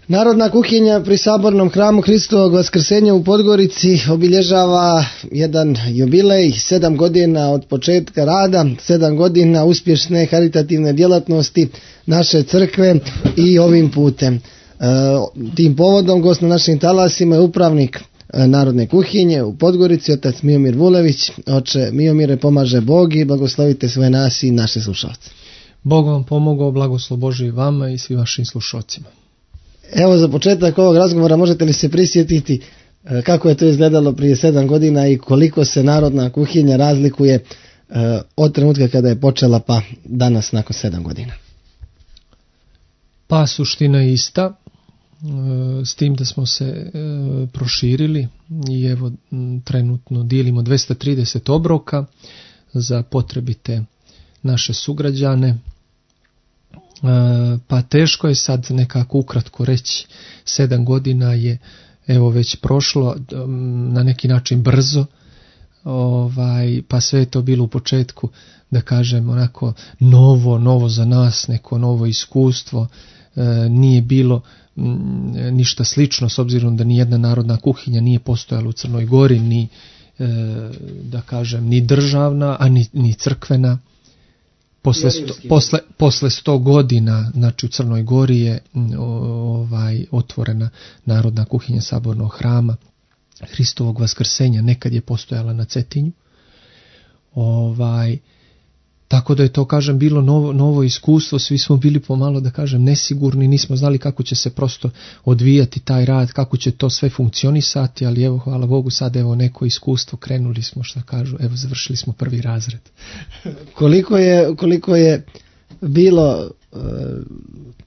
Narodna kuhinja pri Sabornom hramu Hristovog Vaskrsenja u Podgorici obilježava jedan jubilej, 7 godina od početka rada, 7 godina uspješne karitativne djelatnosti naše crkve i ovim putem. Tim povodom gost na našim talasima je upravnik Narodne kuhinje u Podgorici, otac Miomir Vulević. Oče Miomire, pomaže Bog i blagoslovite sve nas i naše slušalce. Bog vam pomogao, blagoslov Božji vama i svim vašim slušalcima. Evo, za početak ovog razgovora možete li se prisjetiti kako je to izgledalo prije 7 godina i koliko se Narodna kuhinja razlikuje od trenutka kada je počela pa danas nakon 7 godina? Pa suština je ista, s tim da smo se proširili i evo trenutno dijelimo 230 obroka za potrebite naše sugrađane. Pa teško je sad nekako ukratko reći, 7 godina je evo već prošlo na neki način brzo, pa sve je to bilo u početku, da kažem, onako novo za nas, neko novo iskustvo, nije bilo ništa slično, s obzirom da ni jedna narodna kuhinja nije postojala u Crnoj Gori, ni da kažem ni državna, a ni crkvena. Posle 100 godina, znači u Crnoj Gori je otvorena Narodna kuhinja Sabornog hrama Hristovog Vaskrsenja, nekad je postojala na Cetinju. Tako da je to, kažem, bilo novo iskustvo, svi smo bili pomalo, da kažem, nesigurni, nismo znali kako će se prosto odvijati taj rad, kako će to sve funkcionisati, ali evo, hvala Bogu, sad evo neko iskustvo, krenuli smo, što kažu, evo završili smo 1. razred. Koliko je bilo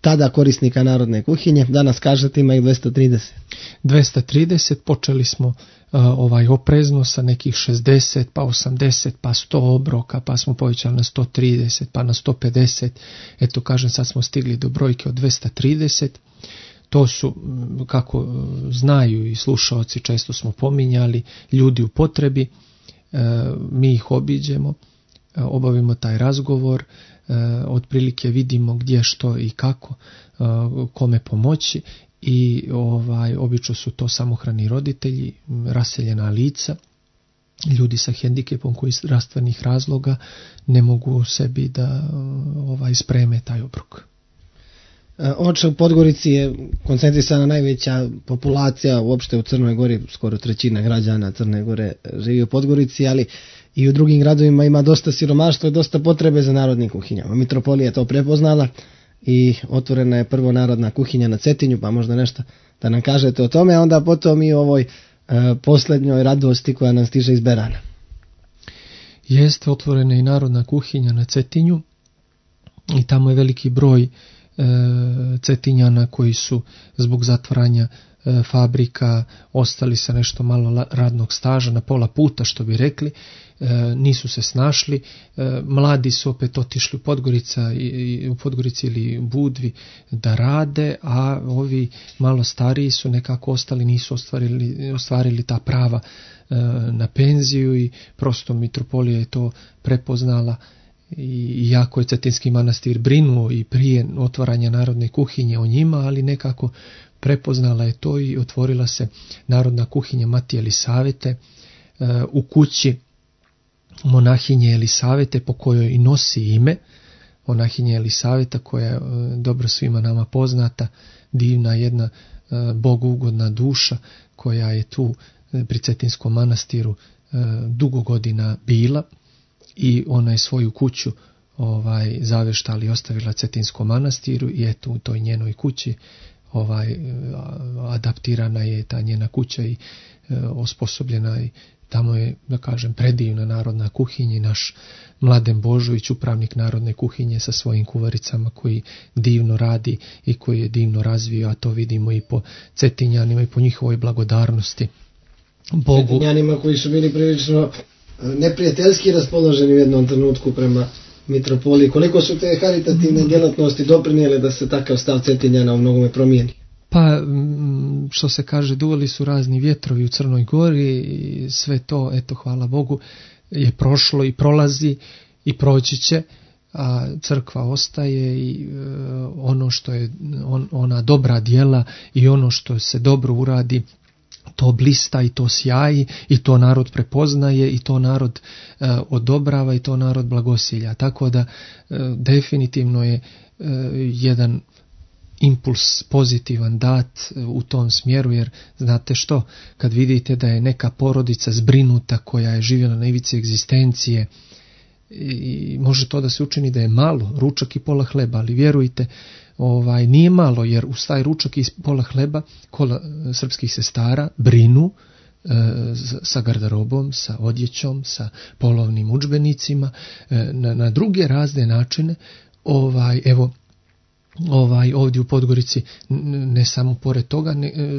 tada korisnika Narodne kuhinje? Danas kažete ima ih 230. 230, počeli smo oprezno sa nekih 60, pa 80, pa 100 obroka, pa smo povećali na 130, pa na 150. Eto, kažem, sad smo stigli do brojke od 230. To su, kako znaju i slušalci, često smo pominjali, ljudi u potrebi. Mi ih obiđemo, obavimo taj razgovor, otprilike vidimo gdje, što i kako, kome pomoći. I obično su to samohrani roditelji, raseljena lica, ljudi sa hendikepom koji iz zdravstvenih razloga ne mogu sebi da spreme taj obrok. Oče, u Podgorici je koncentrisana najveća populacija uopšte u Crnoj Gori, skoro 1/3 građana Crne Gore živi u Podgorici, ali i u drugim gradovima ima dosta siromaštva i dosta potrebe za narodnim kuhinjama. Mitropolija je to prepoznala i otvorena je prvo Narodna kuhinja na Cetinju, pa možda nešto da nam kažete o tome, a onda potom i o ovoj posljednjoj radosti koja nam stiže iz Berana. Jeste otvorena i Narodna kuhinja na Cetinju i tamo je veliki broj Cetinjana koji su zbog zatvaranja fabrika ostali sa nešto malo radnog staža, na pola puta, što bi rekli, nisu se snašli. Mladi su opet otišli u Podgorici ili Budvi da rade, a ovi malo stariji su nekako ostali, nisu ostvarili ta prava na penziju i prosto mitropolija je to prepoznala. I jako je Cetinski manastir brinuo i prije otvaranja Narodne kuhinje o njima, ali nekako prepoznala je to i otvorila se Narodna kuhinja Matije Elisavete u kući monahinje Elisavete, po kojoj i nosi ime monahinje Elisaveta, koja je dobro svima nama poznata, divna jedna bogugodna duša koja je tu pri Cetinskom manastiru dugo godina bila. I ona je svoju kuću zaveštala i ostavila Cetinskom manastiru i eto u toj njenoj kući adaptirana je ta njena kuća i osposobljena i tamo je, da kažem, predivna Narodna kuhinja i naš Mladen Božović, upravnik Narodne kuhinje sa svojim kuvaricama koji divno radi i koji je divno razvio, a to vidimo i po Cetinjanima i po njihovoj blagodarnosti Bogu. Cetinjanima koji su bili prilično neprijateljski raspoloženi u jednom trenutku prema mitropoliji. Koliko su te karitativne djelatnosti doprinijele da se takav stav Cetinjana u mnogome promijeni? Pa, što se kaže, duvali su razni vjetrovi u Crnoj Gori i sve to, eto, hvala Bogu, je prošlo i prolazi i proći će. a crkva ostaje i ono što je ona dobra djela i ono što se dobro uradi, to blista i to sjaji i to narod prepoznaje i to narod odobrava i to narod blagosilja. Tako da definitivno je jedan impuls pozitivan dat u tom smjeru, jer znate što, kad vidite da je neka porodica zbrinuta koja je živjela na ivici egzistencije, i može to da se učini da je malo, ručak i pola hleba, ali vjerujte, nije malo, jer uz taj ručak i pola hleba kola srpskih sestara brinu sa garderobom, sa odjećom, sa polovnim udžbenicima, na druge razne načine. Evo, ovdje u Podgorici, ne samo pored toga,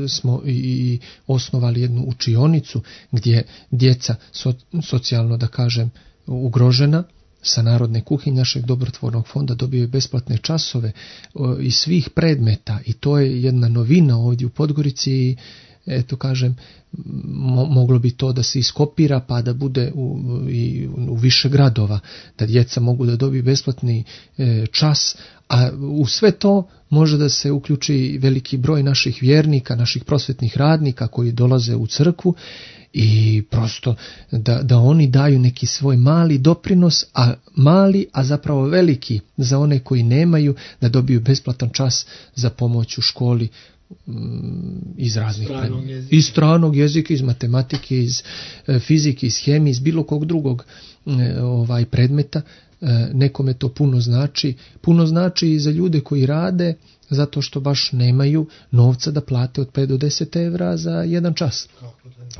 smo i osnovali jednu učionicu gdje djeca socijalno, da kažem, ugrožena, sa narodne kuhinje našeg dobrotvornog fonda dobiju besplatne časove iz svih predmeta, i to je jedna novina ovdje u Podgorici. I eto, kažem, moglo bi to da se iskopira pa da bude u više gradova, da djeca mogu da dobiju besplatni čas, a u sve to može da se uključi veliki broj naših vjernika, naših prosvetnih radnika koji dolaze u crkvu, i prosto da oni daju neki svoj mali doprinos, a zapravo veliki za one koji nemaju, da dobiju besplatan čas za pomoć u školi iz raznih predmeta, iz stranog jezika, iz matematike, iz fizike, iz hemije, iz bilo kog drugog predmeta. Nekome to puno znači i za ljude koji rade, zato što baš nemaju novca da plate od 5 do 10 evra za jedan čas.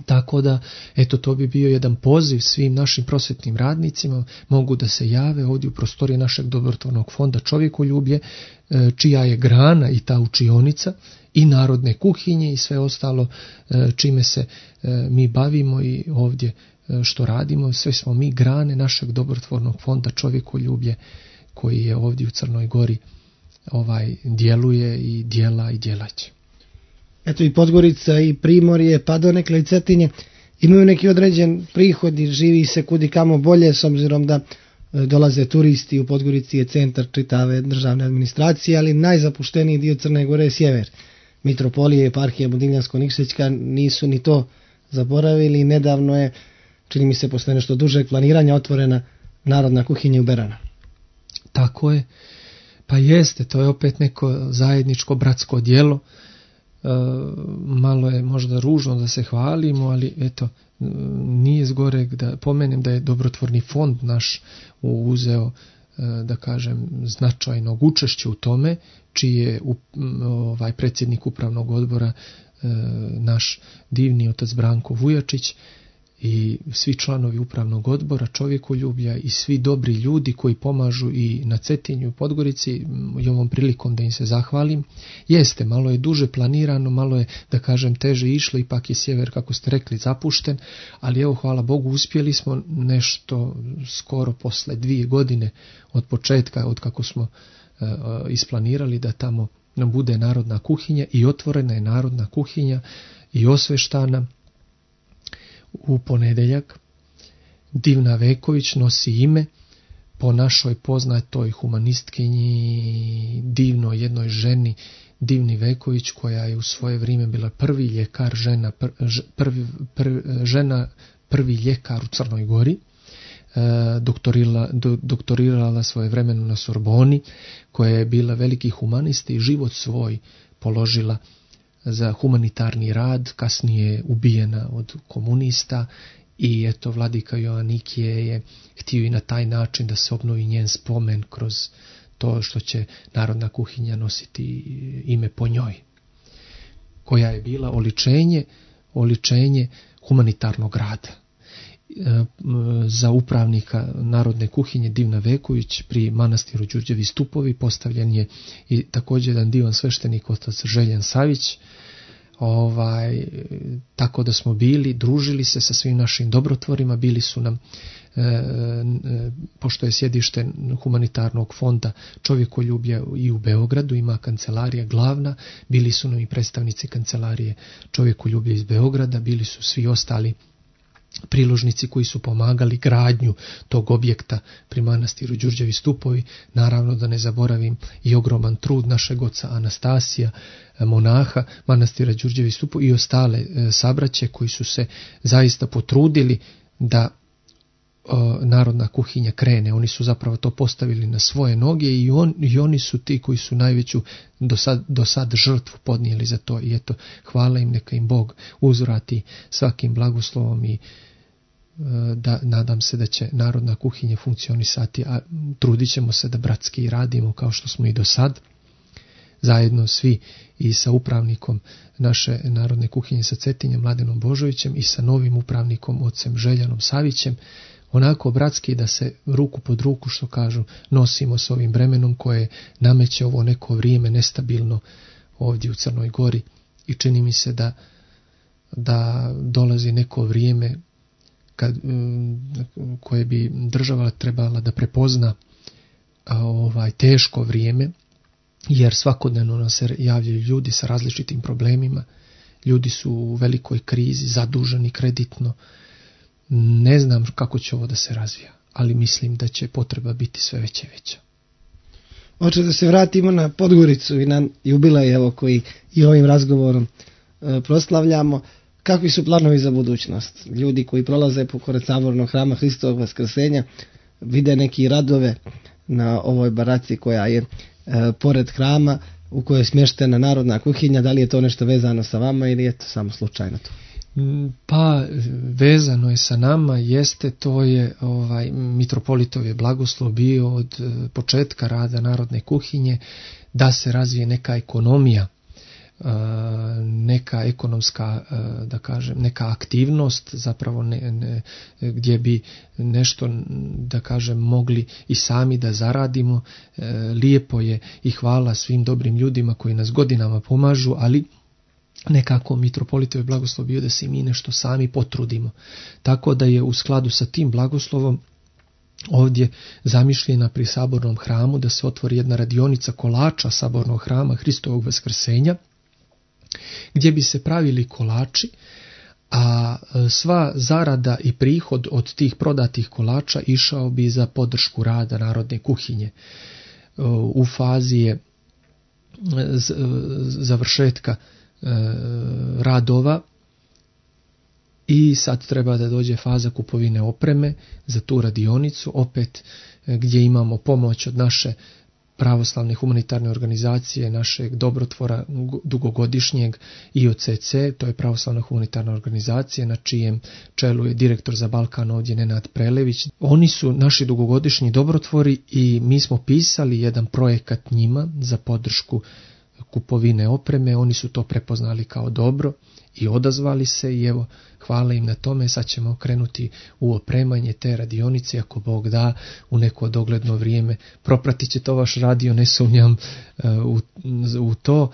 Tako da, eto, to bi bio jedan poziv svim našim prosvetnim radnicima, mogu da se jave ovdje u prostorije našeg dobrotvornog fonda Čovjekoljublje, čija je grana i ta učionica, i narodne kuhinje i sve ostalo čime se mi bavimo i ovdje što radimo. Sve smo mi grane našeg dobrotvornog fonda Čovjekoljublje, koji je ovdje u Crnoj Gori djeluje i djela i djelać. Eto, i Podgorica i Primorje, pa donekle i Cetinje imaju neki određen prihod i živi se kudi kamo bolje, s obzirom da dolaze turisti. U Podgorici je centar čitave državne administracije, ali najzapušteniji dio Crne Gore je sjever. Mitropolije i eparhija Budinjansko-Nikšićka nisu ni to zaboravili. Nedavno je, čini mi se posle nešto dužeg planiranja, otvorena narodna kuhinja u Berana. Tako je. Pa jeste, to je opet neko zajedničko bratsko djelo. Malo je možda ružno da se hvalimo, ali eto, nije zgoreg da pomenem da je dobrotvorni fond naš uzeo, da kažem, značajnog učešća u tome, čiji je predsjednik upravnog odbora naš divni otac Branko Vujačić, i svi članovi upravnog odbora Čovjekoljublja i svi dobri ljudi koji pomažu i na Cetinju i Podgorici, i ovom prilikom da im se zahvalim. Jeste, malo je duže planirano, malo je, da kažem, teže išlo, ipak je sjever, kako ste rekli, zapušten, ali evo, hvala Bogu, uspjeli smo nešto skoro posle 2 godine od početka, od kako smo isplanirali da tamo nam bude narodna kuhinja, i otvorena je narodna kuhinja i osveštana u ponedjeljak. Divna Veković nosi ime po našoj poznatoj humanistkinji, divnoj jednoj ženi, Divni Veković, koja je u svoje vrijeme bila prvi ljekar prvi ljekar u Crnoj Gori, doktorirala svojevremeno na Sorboni, koja je bila veliki humanist i život svoj položila za humanitarni rad, kasnije ubijena od komunista, i eto, vladika Joanikije je htio i na taj način da se obnovi njen spomen kroz to što će narodna kuhinja nositi ime po njoj, koja je bila oličenje humanitarnog rada. Za upravnika narodne kuhinje Divna Veković pri manastiru Đurđevi Stupovi postavljen je i također jedan divan sveštenik, otac Željan Savić. Tako da smo družili se sa svim našim dobrotvorima, bili su nam, pošto je sjedište humanitarnog fonda Čovjekoljublja i u Beogradu, ima kancelarija glavna, bili su nam i predstavnici kancelarije Čovjekoljublja iz Beograda, bili su svi ostali priložnici koji su pomagali gradnju tog objekta pri manastiru Đurđevi stupovi. Naravno da ne zaboravim i ogroman trud našeg oca Anastasija, monaha manastira Đurđevi stupovi i ostale sabraće koji su se zaista potrudili da narodna kuhinja krene. Oni su zapravo to postavili na svoje noge i oni su ti koji su najveću do sad žrtvu podnijeli za to. I eto, hvala im, neka im Bog uzvrati svakim blagoslovom i da nadam se da će narodna kuhinja funkcionisati, a trudit ćemo se da bratski radimo kao što smo i do sad. Zajedno svi i sa upravnikom naše narodne kuhinje sa Cetinjem, Mladenom Božovićem, i sa novim upravnikom, ocem Željanom Savićem, onako bratski da se ruku pod ruku, što kažu, nosimo s ovim bremenom koje nameće ovo neko vrijeme nestabilno ovdje u Crnoj Gori. I čini mi se da dolazi neko vrijeme koje bi država trebala da prepozna teško vrijeme, jer svakodnevno nam se javljaju ljudi sa različitim problemima. Ljudi su u velikoj krizi, zaduženi kreditno. Ne znam kako će ovo da se razvija, ali mislim da će potreba biti sve veća i veća. Oče, da se vratimo na Podgoricu i na jubilej koji i ovim razgovorom proslavljamo. Kakvi su planovi za budućnost? Ljudi koji prolaze pored sabornog hrama Hristovog Vaskrsenja vide neki radove na ovoj baraci koja je pored hrama u kojoj je smještena narodna kuhinja. Da li je to nešto vezano sa vama ili je to samo slučajno to? Pa vezano je sa nama, to je mitropolitov je blagoslov bio od početka rada narodne kuhinje da se razvije neka ekonomija, neka ekonomska, da kažem, neka aktivnost, zapravo gdje bi nešto, da kažem, mogli i sami da zaradimo. Lijepo je i hvala svim dobrim ljudima koji nas godinama pomažu, ali nekako mitropolitov je blagoslov bio da se mi nešto sami potrudimo. Tako da je u skladu sa tim blagoslovom ovdje zamišljena pri sabornom hramu da se otvori jedna radionica kolača sabornog hrama Hristovog Vaskrsenja, gdje bi se pravili kolači, a sva zarada i prihod od tih prodatih kolača išao bi za podršku rada narodne kuhinje. U fazi je završetka radova i sad treba da dođe faza kupovine opreme za tu radionicu, opet gdje imamo pomoć od naše pravoslavne humanitarne organizacije, našeg dobrotvora dugogodišnjeg IOCC, to je pravoslavna humanitarna organizacija na čijem čelu je direktor za Balkan ovdje Nenad Prelević. Oni su naši dugogodišnji dobrotvori i mi smo pisali jedan projekat njima za podršku kupovine opreme. Oni su to prepoznali kao dobro i odazvali se i evo, hvala im na tome. Sad ćemo krenuti u opremanje te radionice, ako Bog da, u neko dogledno vrijeme. Propratit će to vaš radio, ne sumnjam u to.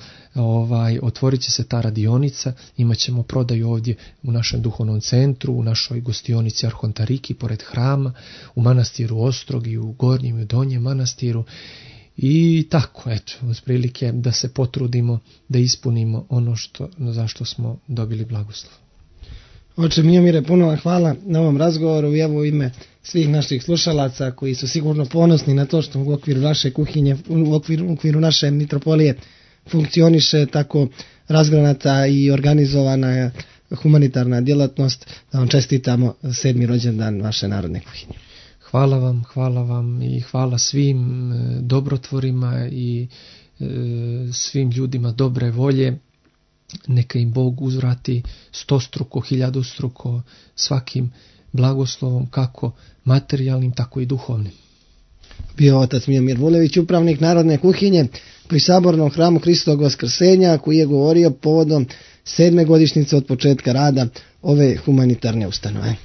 Otvorit će se ta radionica, imat ćemo prodaju ovdje u našem duhovnom centru, u našoj gostionici Arhontariki pored hrama, u manastiru Ostrogi, u Gornjem i u Donjem manastiru. I tako, eto, uz prilike da se potrudimo da ispunimo ono zašto smo dobili blagoslov. Oče Mijomire, puno vam hvala na ovom razgovoru i evo u ime svih naših slušalaca koji su sigurno ponosni na to što u okviru naše kuhinje, u okviru naše mitropolije funkcioniše tako razgranata i organizovana humanitarna djelatnost, da vam čestitamo 7. rođendan vaše narodne kuhinje. Hvala vam i hvala svim dobrotvorima i svim ljudima dobre volje. Neka im Bog uzvrati 100-struko, 1000-struko svakim blagoslovom, kako materijalnim, tako i duhovnim. Bio otac Mijomir Vulević, upravnik narodne kuhinje pri sabornom hramu Hristovog Vaskrsenja, koji je govorio povodom 7. godišnjice od početka rada ove humanitarne ustanove.